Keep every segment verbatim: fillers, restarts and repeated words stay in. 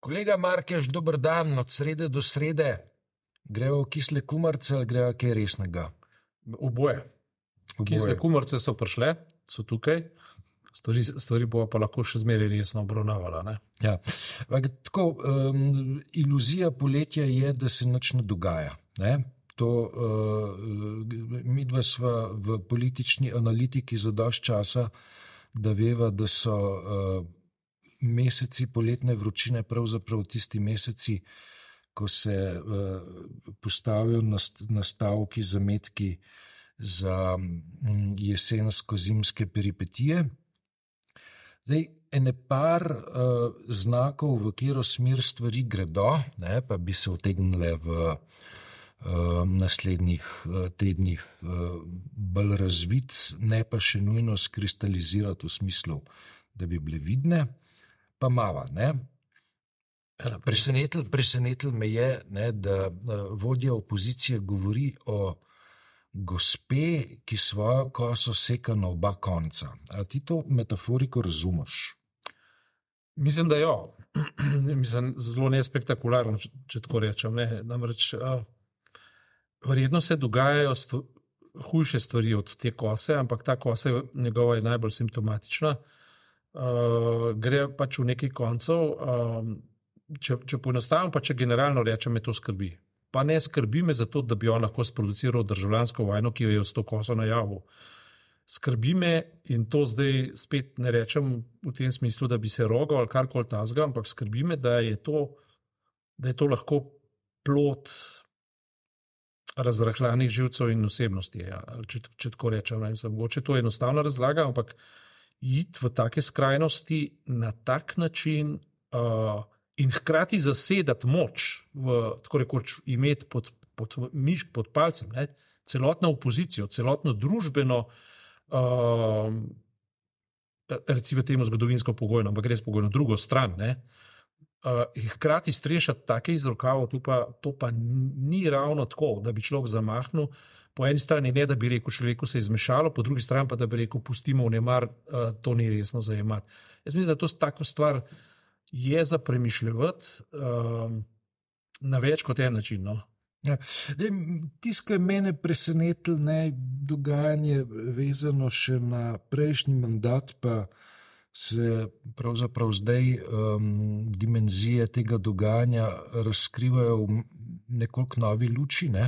Kolega Markeš, dober dan, od srede do srede. Grejo v kisle kumarce ali grejo kaj resnega? Oboje. Oboje. Kisle kumarce so prišle, so tukaj, stvari, stvari bo pa lahko še zmeraj resno obravnavala. Ne? Ja. Tako, um, iluzija poletja je, da se nič ne dogaja. Ne? To, uh, midva sva v politični analitiki za dosti časa, da veva, da so uh, meseci poletne vročine pravzaprav tisti meseci, ko se uh, postavijo nastavki, zametki za um, jesensko-zimske peripetije. Zdaj, ene par uh, znakov, v katero smer stvari gredo, ne, pa bi se utegnile v uh, naslednjih uh, tednih uh, bolj razviti, ne pa še nujno skristalizirati v smislu, da bi bile vidne, pa mava, ne. Presenetil, presenetil me je, ne, da uh, vodja opozicije govori o gospe, ki svojo koso seka na oba konca. A ti to metaforiko razumeš? Mislim, da jo. Mislim, zelo nespektakularno, če, če tako rečem. Ne. Namreč, a, verjetno se dogajajo stvo, hujše stvari od te kose, ampak ta kosa je njegova je najbolj simptomatična. Uh, gre pač v nekaj koncev, uh, če, če poenostavim, pa če generalno rečem, me to skrbi. Pa ne skrbi me zato, da bi on lahko sproduciral državljansko vojno, ki jo je s to koso najavil. Skrbi me, in to zdaj spet ne rečem v tem smislu, da bi se rogal ali karkoli tazga, ampak skrbi me, da je to, da je to lahko plod razrahljanih živcev in osebnosti. Ja, če, če tako rečem, ne vem, mogoče to je enostavna razlaga, ampak iti v take skrajnosti na tak način uh, in hkrati zasedati moč, v, tako rekoč imeti pod, pod mišk, pod palcem, ne, celotno opozicijo, celotno družbeno, uh, recimo temu zgodovinsko pogojno, ampak res pogojno, drugo stran, ne, uh, in hkrati strešati take iz rokavov, to pa, to pa ni ravno tako, da bi človek zamahnil. Po eni strani ne, da bi rekel, človeku se je izmešalo, po drugi strani pa, da bi rekel, pustimo vnemar, uh, to ni resno zajemati. Jaz mislim, da to tako stvar je za premišljevati uh, na več kot en način. No? Ja. Tisto, kar je mene presenetilo, ne, dogajanje vezano še na prejšnji mandat, pa se pravzaprav zdaj um, dimenzije tega dogajanja razkrivajo v nekoliko novi luči, ne?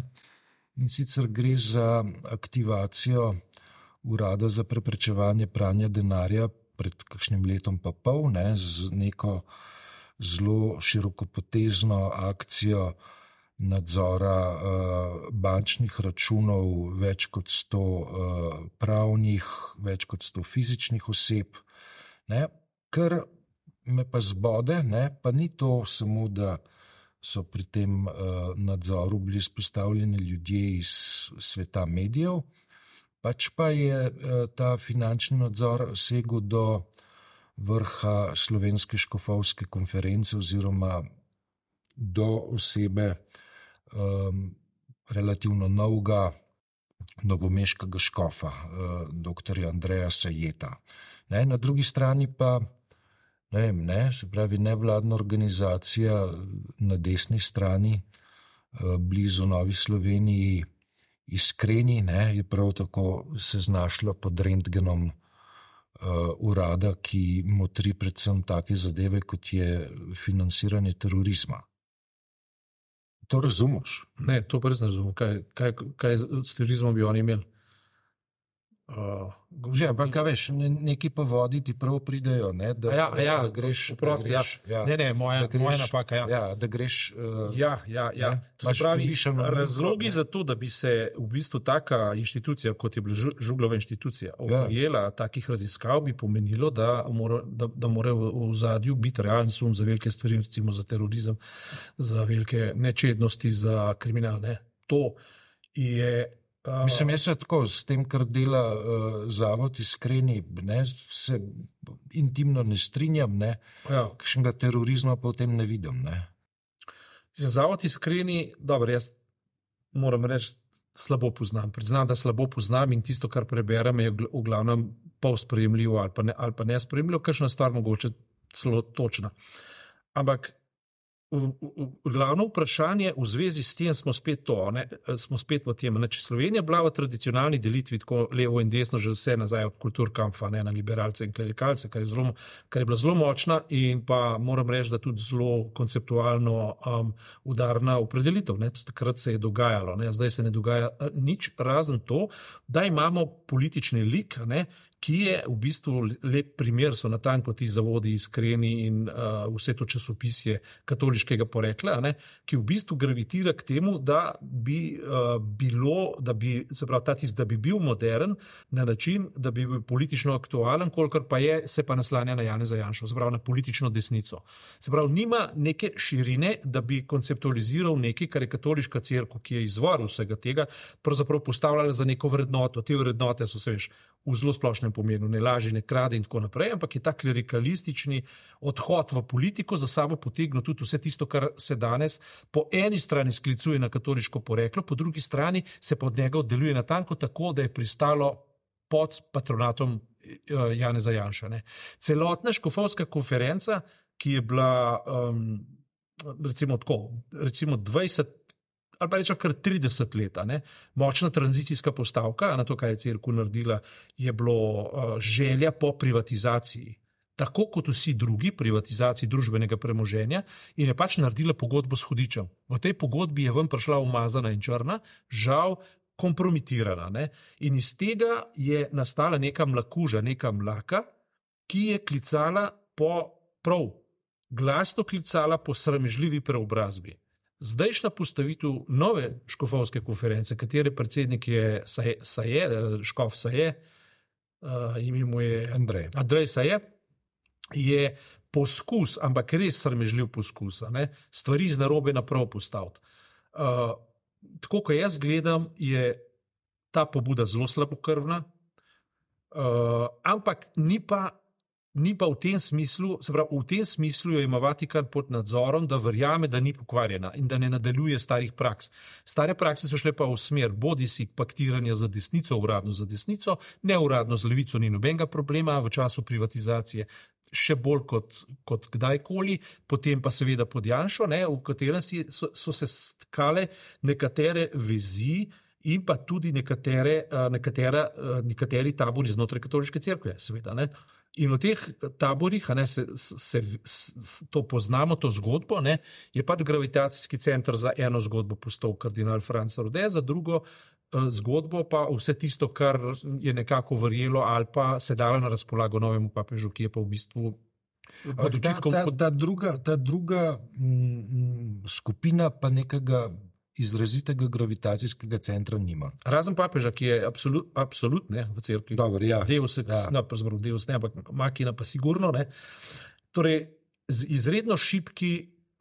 In sicer gre za aktivacijo Urada za preprečevanje pranja denarja pred kakšnim letom pa pol, ne, z neko zelo širokopotezno akcijo nadzora uh, bančnih računov, več kot sto uh, pravnih, več kot sto fizičnih oseb, ne, kar me pa zbode, ne, pa ni to samo, da so pri tem uh, nadzoru bili izpostavljeni ljudje iz sveta medijev, pač pa je uh, ta finančni nadzor segel do vrha Slovenske škofovske konference oziroma do osebe um, relativno novega novomeškega škofa, uh, doktorja Andreja Sajeta. Ne, na drugi strani pa Ne vem, ne, se pravi nevladna organizacija na desni strani, blizu Novi Sloveniji, Iskreni, ne, je prav tako se znašla pod rentgenom uh, urada, ki motri predvsem take zadeve, kot je financiranje terorizma. To razumeš? Ne, to pa res ne razumem. Kaj, kaj, kaj s terorizmom bi oni imeli? Uh, Že, ampak kaj veš, neki pa vodi ti prav pridejo, ne, da, ja, ja, da greš, uprost, da greš ja. ja, ne, ne, moja, da greš, moja napaka, ja. Ja, da greš uh, ja, ja, ja. To se pravi, razlogi za to, da bi se v bistvu taka inštitucija, kot je bila Žuglova inštitucija, oprijela ja. takih raziskav, bi pomenilo, da mora, da, da mora v zadju biti realen sum za velike stvari, recimo za terorizem, za velike nečednosti, za kriminal, ne. To je Uh, Mislim, jaz se tako s tem, kar dela uh, Zavod Iskreni, ne, se intimno ne strinjam, ne, ja. kakšnega terorizma pa v tem ne vidim. Ne. Zavod Iskreni, dobro, jaz moram reči, slabo poznam. Priznam, da slabo poznam in tisto, kar preberem, je v glavnem pol sprejemljivo ali pa ne, ali pa ne sprejemljivo, kakšna stvar mogoče celo točna. Ampak Glavno vprašanje v zvezi s tem smo spet to, ne, smo spet v tem, ne, če Slovenija bila v tradicionalni delitvi tako levo in desno že vse nazaj od kulturkampfa, ne, na liberalce in klerikalce, kar je, zelo, kar je bila zelo močna in pa moram reči, da tudi zelo konceptualno um, udarna opredelitev, ne, takrat se je dogajalo, ne, zdaj se ne dogaja nič razen to, da imamo politični lik, ne, ki je v bistvu lep primer, so natanko ti zavodi iskreni in uh, vse to časopisje katoliškega porekla, ne, ki v bistvu gravitira k temu, da bi uh, bilo, da bi, se pravi, ta tis, da bi bil modern na način, da bi bil politično aktualen, kolikor pa je, se pa naslanja na Janeza Janšo, se pravi na politično desnico. Se pravi, nima neke širine, da bi konceptualiziral nekaj, kar je katoliška cerkev, ki je izvor vsega tega, pravzaprav postavljala za neko vrednoto. Te vrednote so, se veš, v zelo splošnem pomenu, ne laži, ne krade in tako naprej, ampak je ta klerikalistični odhod v politiko za sabo potegnil tudi vse tisto, kar se danes po eni strani sklicuje na katoliško poreklo, po drugi strani se pod njega oddeluje natanko tako, da je pristalo pod patronatom Janeza Janše. Ne. Celotna škofovska konferenca, ki je bila um, recimo tako, recimo dvajset ali pa rečemo kar trideset leta, ne? Močna tranzicijska postavka, na to, kaj je cerkev naredila, je bilo uh, želja po privatizaciji, tako kot vsi drugi, privatizaciji družbenega premoženja, in je pač naredila pogodbo s hudičem. V tej pogodbi je ven prišla umazana in črna, žal kompromitirana. Ne? In iz tega je nastala neka mlakuža, neka mlaka, ki je klicala po, prav, glasno klicala po sramežljivi preobrazbi. Zdajšnja postavitev nove škofovske konference, katere predsednik je Saje, Saje škof Saje, uh, ime mu je Andrej. Andrej Saje, je poskus, ampak res sramežljiv poskus, ne, stvari z narobe naprav postaviti. Uh, tako, ko jaz gledam, je ta pobuda zelo slabokrvna, uh, ampak ni pa Ni pa v tem smislu, se pravi, v tem smislu jo ima Vatikan pod nadzorom, da verjame, da ni pokvarjena in da ne nadaljuje starih praks. Stare prakse so šle pa v smer bodisi paktiranja za desnico, uradno za desnico, neuradno za levico ni nobenega problema, v času privatizacije še bolj kot, kot kdajkoli, potem pa seveda pod Janšo, ne, v katerem si, so, so se stkale nekatere vezi in pa tudi nekatere, nekatera, nekateri tabori znotraj katoliške cerkve, seveda, ne. In v teh taborih, ne, se, se, se to poznamo, to zgodbo, ne, je pač gravitacijski center za eno zgodbo postal kardinal Franc Rode, za drugo eh, zgodbo pa vse tisto, kar je nekako verjelo ali pa se dalo na razpolago novemu papežu, ki je pa v bistvu ta, ta, ta druga, ta druga m, skupina pa nekega izrazitega gravitacijskega centra nima. Razen papeža, ki je absolut, absolut ne, v cerkvi. Dobar, ja. Deus, ja. No, pravzaprav Deus ne, ampak makina pa sigurno. Ne. Torej, izredno šibki,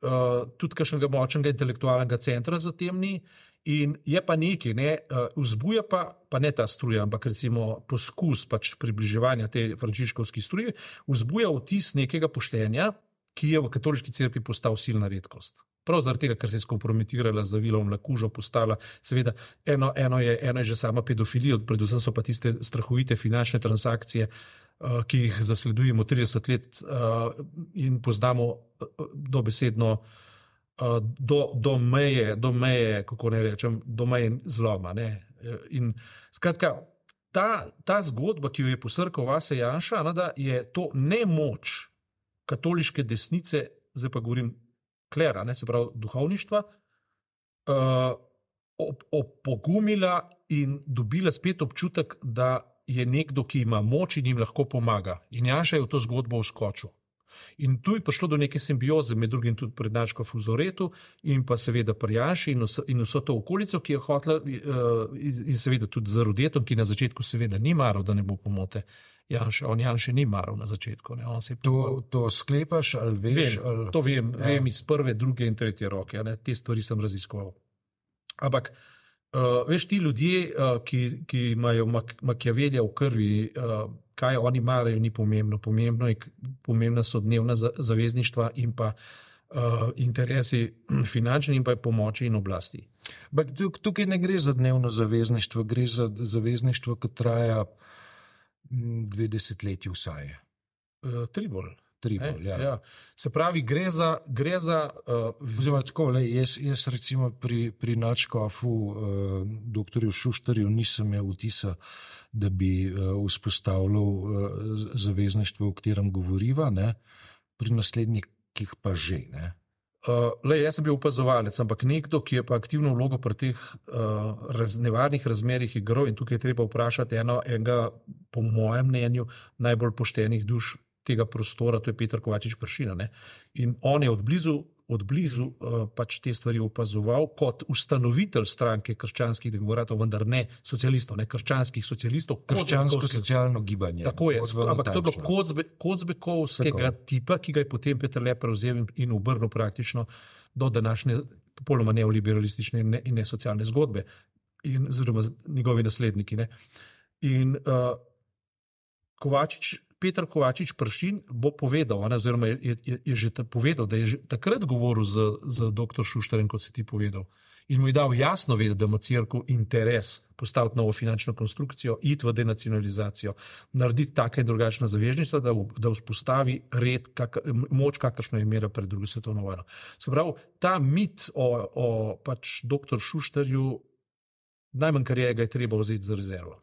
uh, tudi kakšnega močnega intelektualnega centra za tem ni in je pa nekaj, ne, uh, vzbuja pa, pa ne ta struja, ampak recimo poskus pač približevanja te frančiškovski struji, vzbuja vtis nekega poštenja, ki je v katoliški cerkvi postal silna redkost. Prav zaradi tega, ker se je skompromitirala z Vilom Mlakužo, postala, seveda, eno, eno, je, eno je že sama pedofilija, predvsem so pa tiste strahovite finančne transakcije, uh, ki jih zasledujemo trideset let uh, in poznamo uh, dobesedno uh, do, do meje, do meje, kako ne rečem, do meje zloma. Ne? In skratka, ta, ta zgodba, ki jo je posrkal Vase Janša, da je to nemoč katoliške desnice, zdaj pa govorim klera, ne, se pravi duhovništva, uh, opogumila in dobila spet občutek, da je nekdo, ki ima moč in jim lahko pomaga. In Janša je v to zgodbo vskočil. In tu je prišlo do neke simbioze, med drugim tudi pred Načko Fuzoretu in pa seveda pri Janši in, in vso to okolico, ki je hotela uh, in seveda tudi z Rodetom, ki na začetku seveda ni maral, da ne bo pomote. Janša, on Janše ni maral na začetku. Ne? On se je to, to sklepaš ali veš? Vem, ali... To vem, ja. vem iz prve, druge in tretje roke. Ne? Te stvari sem raziskoval. Ampak, uh, veš, ti ljudje, uh, ki, ki imajo mak Machiavellija v krvi, uh, kaj oni marajo, ni pomembno. Pomembno je, pomembna so dnevna zavezništva in pa uh, interesi finančni in pa pomoči in oblasti. Bak, tukaj ne gre za dnevno zavezništvo, gre za zavezništvo, ki traja dve desetletji vsaj. Uh, tri bolj. Tribal, ja. Ja. Se pravi, gre za... Gre za uh, Oziroma, tako, le, jaz, jaz recimo pri, pri nadškofu uh, doktorju Šuštarju nisem imel vtisa, da bi uh, vzpostavljal uh, zavezništvo, o katerem govoriva, ne? Pri naslednikih pa že. Ne? Uh, le, jaz sem bil opazovalec, ampak nekdo, ki je pa aktivno vlogo pri teh uh, raz, nevarnih razmerih igral, in tukaj je treba vprašati eno, enega, po mojem mnenju, najbolj poštenih duš tega prostora, to je Peter Kovačič Peršin. In on je odblizu, odblizu uh, pač te stvari opazoval kot ustanovitelj stranke krščanskih demokratov, vendar ne socialistov, ne krščanskih socialistov. Krščansko-socialno gibanje. Tako je, ampak to je bilo Kocbe, Kocbekovskega tipa, ki ga je potem Peter Le prevzel in obrnil praktično do današnje popolnoma neoliberalistične in, ne, in nesocialne zgodbe, in oziroma njegovi nasledniki. Ne. In uh, Kovačič Peter Kovačič Peršin bo povedal, ne, oziroma je, je, je že povedal, da je že takrat govoril z, z doktor Šuštarjem, kot si ti povedal. In mu je dal jasno vedeti, da ima cerkev interes postaviti novo finančno konstrukcijo, iti v denacionalizacijo, narediti take in drugačne zavezništva, da, da vzpostavi red, kak, moč, kakršno je imela pred drugo svetovno vojno. Se pravi, ta mit o, o pač doktor Šuštarju, najmanj, kar je, ga je treba vzeti za rezervo.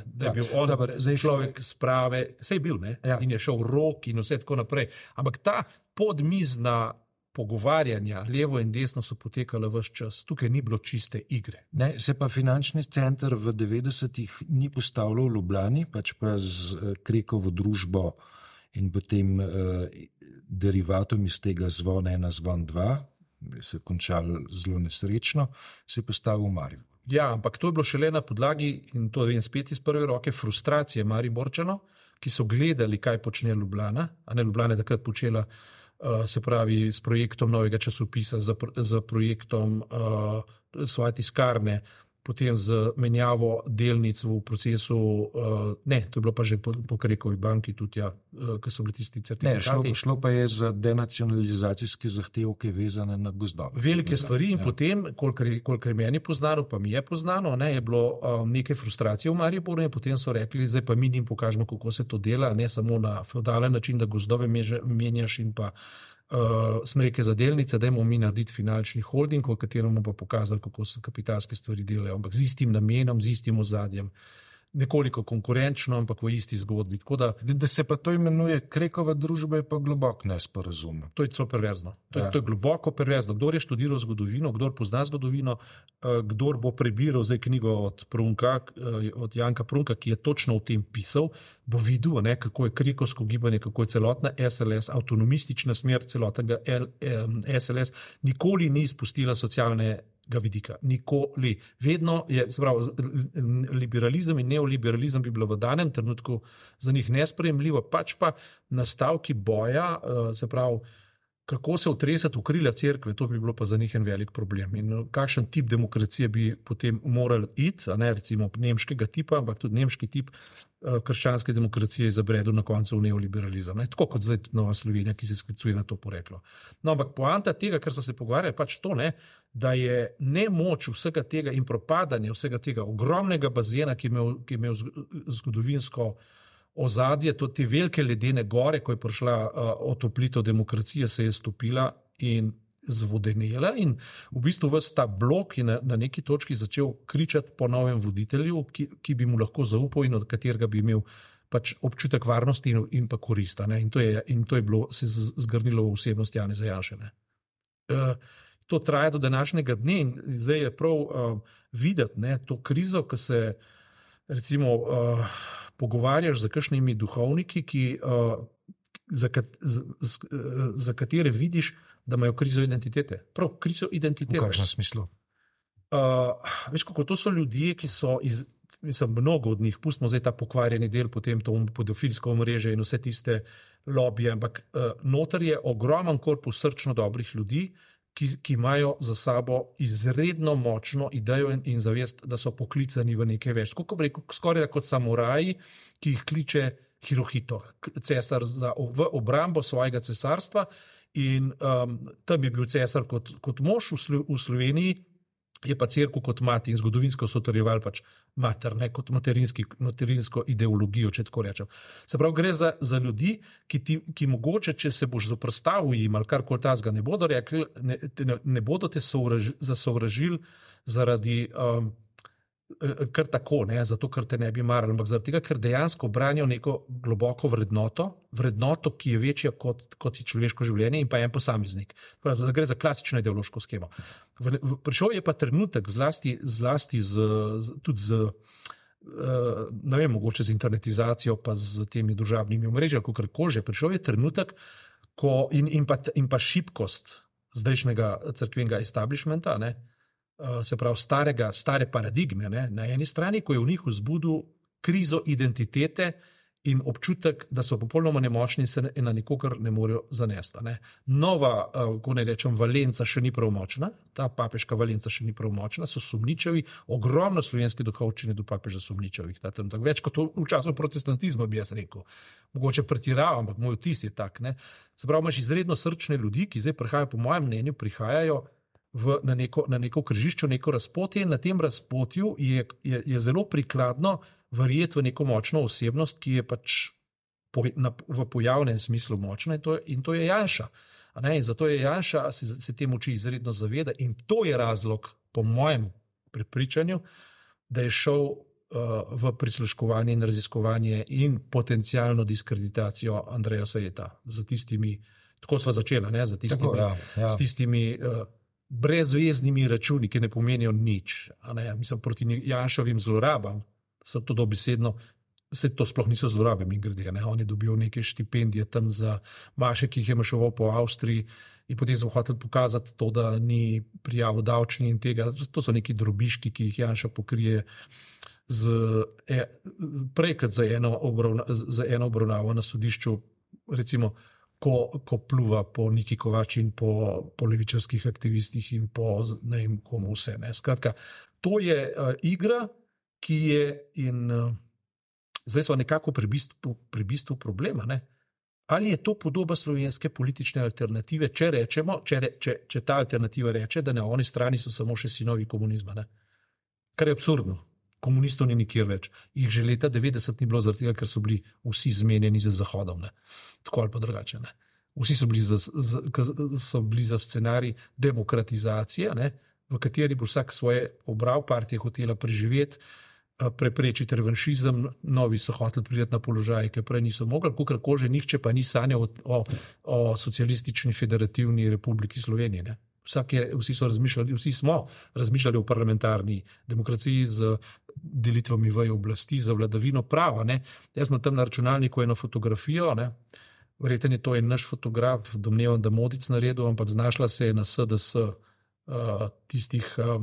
Da je bil on dober, zdaj človek sprave, saj je bil, ne? Ja. In je šel v rok in vse tako naprej. Ampak ta podmizna pogovarjanja, levo in desno, so potekala ves čas. Tukaj ni bilo čiste igre. Ne, se pa finančni center v devetdesetih ni postavljal v Ljubljani, pač pa z uh, Krekovo družbo in potem uh, derivatom iz tega Zvon ena, Zvon dva, se je končal zelo nesrečno, se je postavil v Maribor. Ja, ampak to je bilo šele na podlagi, in to vem spet iz prve roke, frustracije Mariborčanov, ki so gledali, kaj počne Ljubljana, a ne Ljubljana je takrat počela, uh, se pravi, s projektom novega časopisa, za, za projektom uh, svoje tiskarne, potem z menjavo delnic v procesu, uh, ne, to je bilo pa že po, po Krekovi banki tudi, ja, uh, ki so bili tisti certifikati. Ne, šlo, šlo pa je za denacionalizacijske zahtevke vezane na gozdove. Velike stvari in ja. Potem, kolikor je, kolikor je meni poznano, pa mi je poznano, ne, je bilo um, nekaj frustracije v Mariboru in potem so rekli, zdaj pa mi njim pokažemo, kako se to dela, ne samo na feudalen način, da gozdove meže, menjaš in pa Uh, smreke za delnice, dajmo mi narediti finančni holding, v katerem bomo pa pokazali, kako se kapitalske stvari delajo, ampak z istim namenom, z istim ozadjem. Nekoliko konkurenčno, ampak v isti zgodbi. Da, da se pa to imenuje Krekova družba, je pa globoko nesporazum. To je celo perverzno. To je, ja. to je globoko perverzno. Kdor je študiral zgodovino, kdor pozna zgodovino, kdor bo prebiral zdaj knjigo od, Prunka, od Janka Prunka, ki je točno o tem pisal, bo videl, ne, kako je krekovsko gibanje, kako je celotna S L S, avtonomistična smer celotnega S L S, nikoli ni izpustila socialne ga vidika. Nikoli. Vedno je, se pravi, liberalizem in neoliberalizem bi bilo v danem trenutku za njih nesprejemljivo, pač pa nastavki boja, se pravi, kako se utresati v krila cerkve, to bi bilo pa za njih en velik problem. In kakšen tip demokracije bi potem morali iti, a ne recimo nemškega tipa, ampak tudi nemški tip krščanske demokracije izabredel na koncu v neoliberalizem. Ne? Tako kot zdaj Nova Slovenija, ki se sklicuje na to poreklo. No, ampak poanta tega, kar smo se pogovarjali, pač to, ne, da je nemoč vsega tega in propadanje vsega tega ogromnega bazena, ki je imel, ki je imel zgodovinsko ozadje, to te velike ledene gore, ko je prišla uh, otoplitev demokracije, se je stopila in zvodenela in v bistvu ves ta blok je na, na neki točki začel kričati po novem voditelju, ki, ki bi mu lahko zaupal in od katerega bi imel pač občutek varnosti in, in pa korista. Ne? In, to je, in to je bilo se zgrnilo v osebnost Janeza Janše. Ne? Uh, to traja do današnjega dne in zdaj je prav uh, videti, ne, to krizo, ki se recimo uh, pogovarjaš z kakšnimi duhovniki, ki, uh, za, kat, z, z, za katere vidiš, da imajo krizo identitete. Prav, krizo identitete. V kakšnem smislu? Uh, veš, kako to so ljudje, ki so, iz, mislim, mnogo od njih, pustimo zdaj ta pokvarjeni del, potem to pedofilsko omrežje in vse tiste lobije, ampak uh, noter je ogromen korpus srčno dobrih ljudi, ki, ki imajo za sabo izredno močno idejo in, in zavest, da so poklicani v nekaj več. Kako bi rekel, skoraj kot samuraji, ki jih kliče Hirohito, cesar za, v obrambo svojega cesarstva. In um, tam je bil cesar kot, kot mož v, Slo, v Sloveniji, je pa cerkev kot mati in zgodovinsko so utrjevali pač mater, ne, kot materinsko ideologijo, če tako rečem. Se pravi, gre za, za ljudi, ki, ti, ki mogoče, če se boš zoprstavil jim ali karkoli tazga, ne bodo rekli, ne, ne, ne bodo te sovraž, zasovražili zaradi um, kar tako, ne, zato ker te ne bi marali, ampak zaradi tega, ker dejansko branijo neko globoko vrednoto, vrednoto, ki je večja kot, kot je človeško življenje in pa en posameznik. Pravi, gre za klasično ideološko skemo. V, v, prišel je pa trenutek, zlasti, zlasti z, z, tudi z, uh, ne vem, mogoče z internetizacijo, pa z temi družabnimi omrežji, kako že, prišel je trenutek, ko in, in, pa, in pa šibkost zdajšnjega cerkvenega establishmenta, ne, se pravi starega, stare paradigme, ne? Na eni strani, ko je v njih vzbudil krizo identitete in občutek, da so popolnoma nemočni in se na nikogar ne morejo zanesti. Ne? Nova, ko ne rečem, Valenca še ni pravmočna, ta papeška Valenca še ni pravmočna, so sumničavi, ogromno slovenske duhovščine do papeža sumničavih. Več kot v času protestantizma, bi jaz rekel. Mogoče pretiravam, ampak moj vtis je tak. Ne? Se pravi, imaš izredno srčne ljudi, ki zdaj prihajajo, po mojem mnenju, prihajajo V, na, neko, na neko križišče, neko razpotje in na tem razpotju je, je, je zelo prikladno verjeti v neko močno osebnost, ki je pač po, na, v pojavnem smislu močna in to, in to je Janša. A ne? In zato je Janša, se, se te moči izredno zaveda in to je razlog, po mojem prepričanju, da je šel uh, v prisluškovanje in raziskovanje in potencialno diskreditacijo Andreja Sajeta z tistimi, tako sva začela, ne? Z tistimi, tako, ja, ja. S tistimi uh, brezveznimi računi, ki ne pomenijo nič. Ne? Mislim, proti Janšovim zlorabam so to dobesedno, se to sploh niso zlorabe, mi grede. Ne? On je dobil neke štipendije tam za maše, ki jih je mašoval po Avstriji in potem so hotel pokazati to, da ni prijavo davčni in tega. To so neki drobiški, ki jih Janša pokrije z, e, prej kot za eno, obravna, za eno obravnavo na sodišču, recimo, Ko, ko pluva po Niki Kovač in po, po levičarskih aktivistih in po ne vem komu vse. Ne. Skratka, to je uh, igra, ki je in uh, zdaj smo nekako pri bistvu, pri bistvu problema. Ne. Ali je to podoba slovenske politične alternative, če rečemo, če, če, če ta alternativa reče, da na oni strani so samo še sinovi komunizma. Ne. Kar je absurdno. Komunistov ni nikjer več. Jih že leta devetdeset ni bilo zaradi tega, ker so bili vsi zmenjeni za Zahodom. Ne. Tako ali pa drugače. Ne. Vsi so bili, za, za, so bili za scenarij demokratizacije, ne, v kateri bo vsak svoje pobral, partija hotela preživeti, preprečiti revanšizem, novi so hoteli priti na položaj, ki prej niso mogli, kakorkoli že nihče pa ni sanjal o, o, o socialistični federativni republiki Slovenije. Ne. Vsak je, vsi so razmišljali, vsi smo razmišljali o parlamentarni demokraciji z delitvami veje oblasti, za vladavino prava. Ne. Jaz sem tam na računalniku eno fotografijo, ne. Verjetno je to en naš fotograf, domnevam, da Modic naredil, ampak znašla se je na S D S uh, tistih, uh,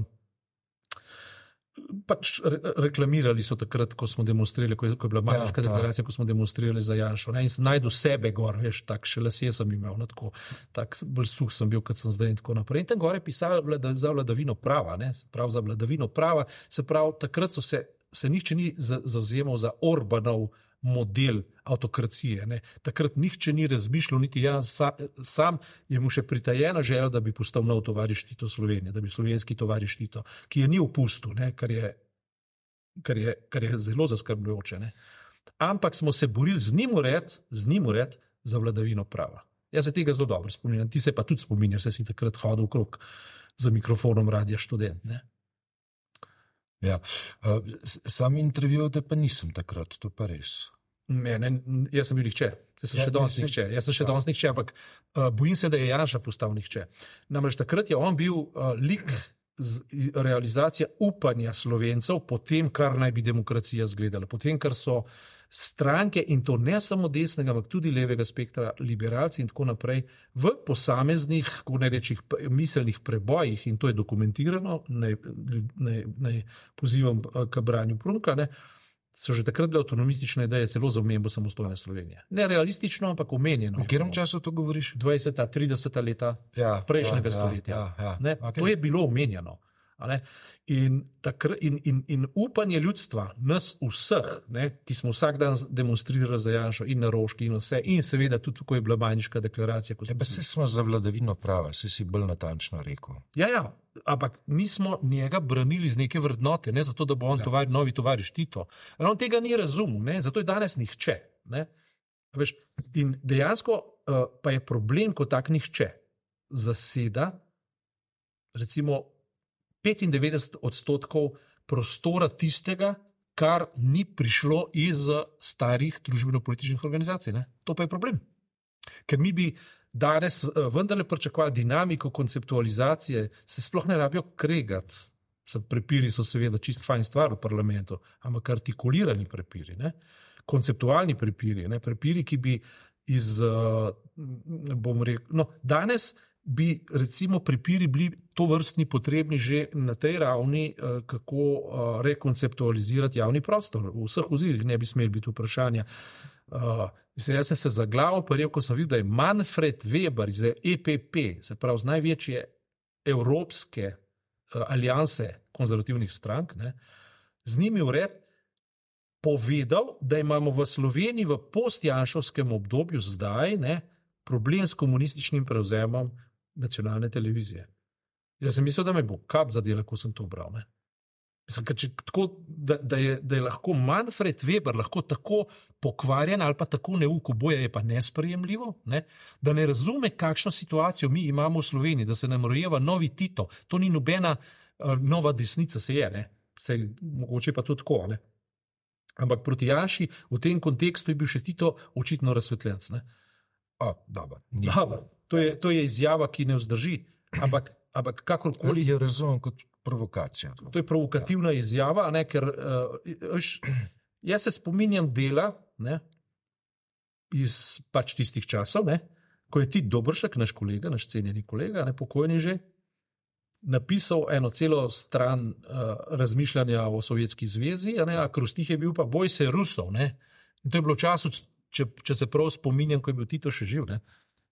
pač re, reklamirali so takrat, ko smo demonstrirali, ko je, ko je bila Marška ja, deklaracija, ko smo demonstrirali za Janšo. Ne, in sem najdu sebe gor, veš, tak še lasje sem imel, no, tako, tak bolj suh sem bil, kot sem zdaj in tako naprej. In tam gore je pisalo vlada, za vladavino prava, ne, se pravi za vladavino prava, se pravi, takrat so se, se nihče ni zavzemal za Orbanov model avtokracije. Ne. Takrat nihče ni razmišljal, niti jaz sa, sam je mu še pritajena želja, da bi postal nov tovariš Tito Slovenije, da bi slovenski tovariš Tito, ki je ni opustil, ne, kar, je, kar, je, kar je zelo zaskrbljujoče. Ne. Ampak smo se borili z njim ured, z njim ured za vladavino prava. Jaz se tega zelo dobro spominjam, ti se pa tudi spominjaš, se si takrat hodil okrog za mikrofonom Radia Študent. Ne. Ja, sam intervjuvate pa nisem takrat, to pa res. Ne, ne, jaz sem bil nihče, jaz sem ja, še danes nihče, jaz sem še danes nihče, ampak uh, bojim se, da je Janša postal nihče. Namreč takrat je on bil uh, lik z realizacija upanja Slovencev po tem, kar naj bi demokracija izgledala, po tem, kar so stranke, in to ne samo desnega, ampak tudi levega spektra, liberalci in tako naprej, v posameznih, ko ne rečih, miselnih prebojih, in to je dokumentirano, naj, naj, naj pozivam k branju Prunka, ne, so že takrat bile avtonomistične ideje celo za omembo samostojne Slovenije. Ne realistično, ampak omenjeno. V katerem času to govoriš? dvajseta, trideseta leta ja, prejšnjega ja, stoletja. Ja, ja, ja. Ne, okay. To je bilo omenjeno. In, takr, in, in, in upanje ljudstva, nas vseh, ne, ki smo vsak dan demonstrirali za Janšo in na Roški in vse, in seveda tudi, ko je bila Majniška deklaracija. Ja, pa se smo za vladavino prava, se si bolj natančno rekel. Ja, ja, ampak mi smo njega branili z neke vrednote, ne zato, da bo on ja. tovar, novi tovariš Tito. On tega ni razumel, ne, zato je danes nihče. Ne. Veš, in dejansko uh, pa je problem, ko tak nihče zaseda, recimo, petindevetdeset odstotkov prostora tistega, kar ni prišlo iz starih družbeno-političnih organizacij. Ne? To pa je problem. Ker mi bi danes vendarle pričakovali dinamiko konceptualizacije, se sploh ne rabijo kregati. Prepiri so seveda čist fajn stvar v parlamentu, ampak artikulirani prepiri, ne? Konceptualni prepiri, ne? Prepiri, ki bi iz, bom rekel, no, danes bi recimo prepiri bili to vrstni potrebni že na tej ravni, kako rekonceptualizirati javni prostor. V vseh ozirih ne bi smeli biti vprašanja. Mislim, jaz sem se za glavo prijel, ko sem videl, da je Manfred Weber iz E P P, se pravi z največje evropske alianse konzervativnih strank, ne, z njimi vred povedal, da imamo v Sloveniji v postjanšovskem obdobju zdaj ne, problem s komunističnim prevzemom nacionalne televizije. Jaz sem mislil, da me bo kap zadela, ko sem to bral. Ne. Mislim, če, tako, da, da, je, da je lahko Manfred Weber lahko tako pokvarjen ali pa tako neuk, oboje je pa nesprejemljivo, ne, da ne razume, kakšno situacijo mi imamo v Sloveniji, da se nam rojeva novi Tito. To ni nobena uh, nova desnica, se je, ne. Se, mogoče pa to tako. Ne. Ampak proti Janši v tem kontekstu je bil še Tito očitno razsvetljenc. Ne. O, dobro, dobro, to, je, to je izjava, ki ne vzdrži, ampak, ampak kakorkoli. Je razumem kot provokacija. To je provokativna ja. izjava, ne, ker uh, jaz se spominjam dela ne, iz pač tistih časov, ne, ko je Tit Dobršek, naš kolega, naš cenjeni kolega, ne, pokojni že, napisal eno celo stran uh, razmišljanja o Sovjetski zvezi, a, ne, a krustih je bil pa boj se Rusov. Ne. In to je bilo v času, če, če se prav spominjam, ko je bil Tito še živ. Ne.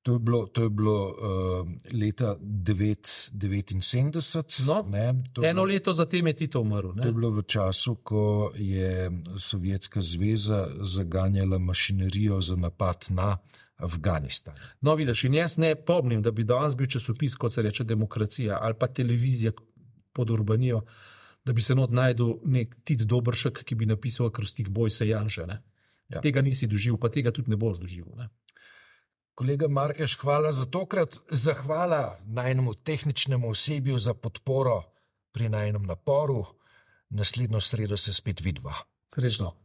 To je bilo, to je bilo uh, leta devetinsedemdeset. No, ne, eno bilo, leto zatem je Tito umrl. Ne. To je bilo v času, ko je Sovjetska zveza zaganjala mašinerijo za napad na Afganistan. No, vidiš, in jaz ne pomnim, da bi danes bil časopis, kot se reče Demokracija, ali pa televizija pod Urbanijo, da bi se not najdel nek Tit Dobršek, ki bi napisal krstih boj se Janše. Ne. Ja. Tega nisi doživel, pa tega tudi ne boš doživel. Ne. Kolega Markeš, hvala za tokrat. Zahvala najnemu tehničnemu osebju za podporo pri najnem naporu. Naslednjo sredo se spet vidva. Srečno.